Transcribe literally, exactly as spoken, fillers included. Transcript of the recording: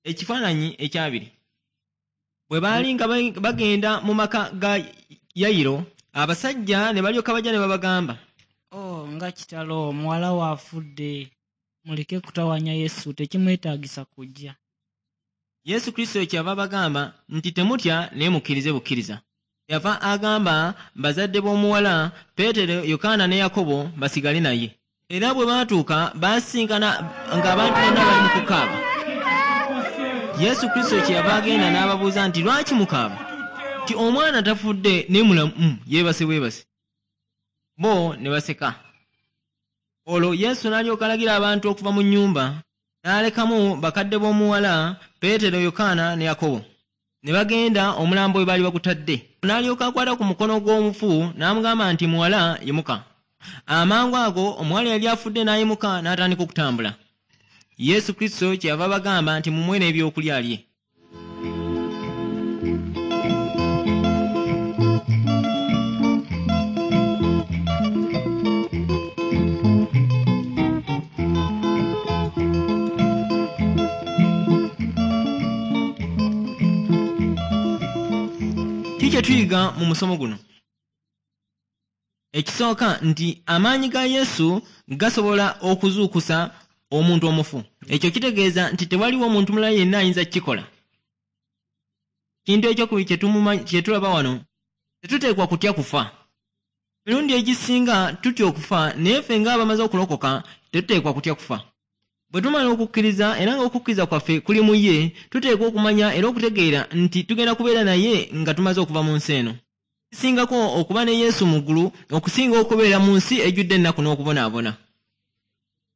Ekifaananyi ekyabiri, bwe baali nga bagenda mu maka ga Yayiro, abasajja ne balyoka bajja ne babagamba, "Oh, nga kitalo, muwala we afudde. Muleke kutawaanya Yesu, tekimwetaagisa kujja." Yesu Kristo kyava abagamba nti temutya, naye mukkirize bukkiriza. Yava agamba bazadde b'omuwala Peetero, Yokaana ne Yakobo basigale naye. Era bwe baatuuka baasinkana ng'abantu bonna bali mu kukaaba. Yesu Kristo kyeyava agenda n'ababuuza nti lwaki mukaaba? Nti omwana tafudde naye mulamu, yeebase bwebase. Bo ne baseka. Olwo Yesu n'alyoka alagira abantu okuva mu nnyumba, n'alekamu bakadde b'omuwala Peetero, Yokaana ne Yakobo. Ne bagenda omulambo we baali bagutadde. N'alyoka akwata ku mukono gw'omufu n'amugamba nti muwala yimuka. Amangu ago omuwala yali afudde n'ayimuka n'atandika okutambula. Yesu Kristo kyeyava abagamba nti mumuwe n'ebyokulya alye. Ki kye tuyiga mu musomo guno? Ekisooka nti amaanyi ga Yesu gasobola okuzuukusa omuntu omufu. Ekyo kitegeeza nti tewaliwo omuntu mulala yenna ayinza kukikola. Kintu ekyokubiri kye tulaba wano, tetuteekwa kutya kufa. Emirundi egisinga tutya okufa, naye ffe ng'abamaze okulokoka tetuteekwa kutya kufa. Bwe tumala okukkiriza era ng'okukkiriza kwaffe kuli mu ye, tuteekwa okumanya era okutegeera nti tugenda kubeera naye nga tumaze okuva mu nsi eno. Kisingako okuba ne Yesu mu ggulu okusinga okubeera mu nsi ejjudde ennaku n'okubonaabona.